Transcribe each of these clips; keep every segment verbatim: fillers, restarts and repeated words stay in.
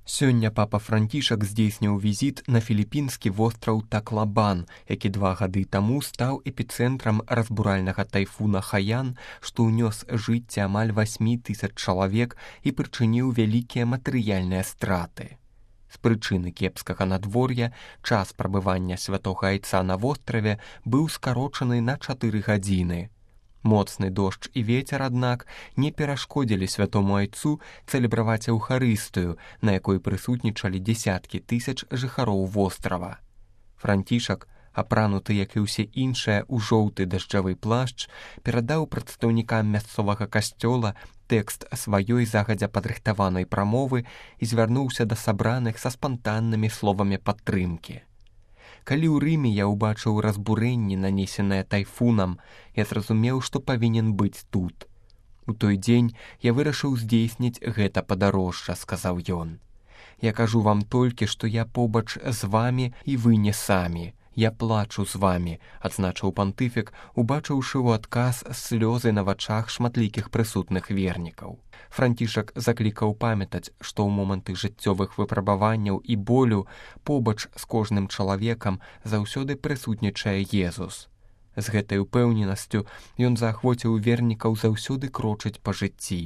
Сёння папа Францішак здзейсніў візіт на філіпінскі востраў Таклабан, які два гады таму стаў эпіцэнтрам разбуральнага тайфуна Хаян, што ўнёс жыцці амаль васьмі тысяч чалавек і прычыніў вялікія матэрыяльныя страты. З прычыны кепскага надвор'я час прабывання святога айца на востраве быў скарочаны на чатыры гадзіны. Моцны дождж і вецер, аднак, не перашкодзілі святому айцу цэлебраваць эўхарыстыю, на якой прысутнічалі дзесяткі тысяч жыхароў вострава. Францішак, апрануты, як і ўсе іншыя, у жоўты дажджавы плашч, перадаў прадстаўнікам мясцовага касцёла тэкст сваёй загадзя падрыхтаванай прамовы і звярнуўся да сабраных са спантаннымі словамі падтрымкі. Калі ў Рыме я ўбачыў разбурэнні, нанесенае тайфунам, я зразумеў, што павінен быць тут. У той дзень я вырашыў здзейсніць гэта падарожжа, сказаў ён. Я кажу вам толькі, што я побач з вамі і вы не самі. Я плачу з вамі, адзначыў пантыфік, убачыўшы ў адказ слёзы на вачах шматлікіх прысутных вернікаў. Францішак заклікаў памятаць, што ў моманты жыццёвых выпрабаванняў і болю побач з кожным чалавекам заўсёды прысутнічае Езус. З гэтай упэўненасцю ён заахвоціў вернікаў заўсёды крочыць па жыцці.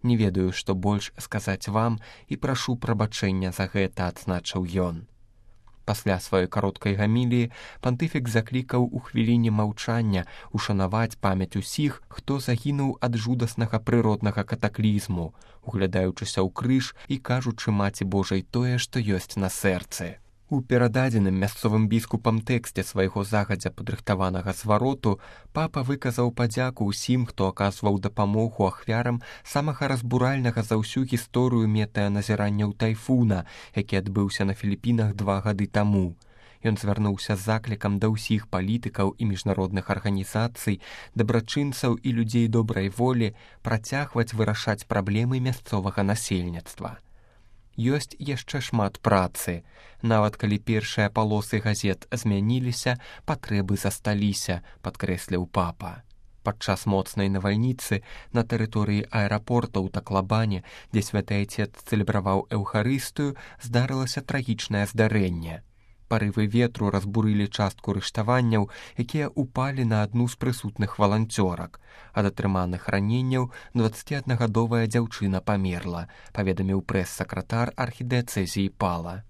Не ведаю, што больш сказаць вам і прашу прабачэння за гэта, адзначыў ён. Пасля сваёй кароткай гаміліі пантыфік заклікаў у хвіліне маўчання ушанаваць памяць усіх, хто загінуў ад жудаснага прыроднага катаклізму, углядаючыся ў крыж і кажучы Маці Божай тое, што ёсць на сэрцы. У перададзеным мясцовым біскупам тэксце свайго загадзя падрыхтаванага звароту папа выказаў падзяку ўсім, хто аказваў дапамогу ахвярам самага разбуральнага за ўсю гісторыю метэаназіранняў тайфуна, які адбыўся на Філіпінах два гады таму. Ён звярнуўся з заклікам да ўсіх палітыкаў і міжнародных арганізацый, дабрачынцаў і людзей добрай волі працягваць вырашаць праблемы мясцовага насельніцтва. Ёсць яшчэ шмат працы. Нават калі першыя палосы газет змяніліся, патрэбы засталіся, падкрэсліў папа. Падчас моцнай навальніцы на тэрыторыі аэрапорта ў Таклабане, дзе святы айцец цэлебраваў эўхарыстыю, здарылася трагічнае здарэнне. Парывы ветру разбурылі частку рыштаванняў, якія ўпалі на адну з прысутных валанцёрак. Ад атрыманых раненняў дваццаціаднагадовая дзяўчына памерла, паведаміў прэс-сакратар архідыяцэзіі Пала.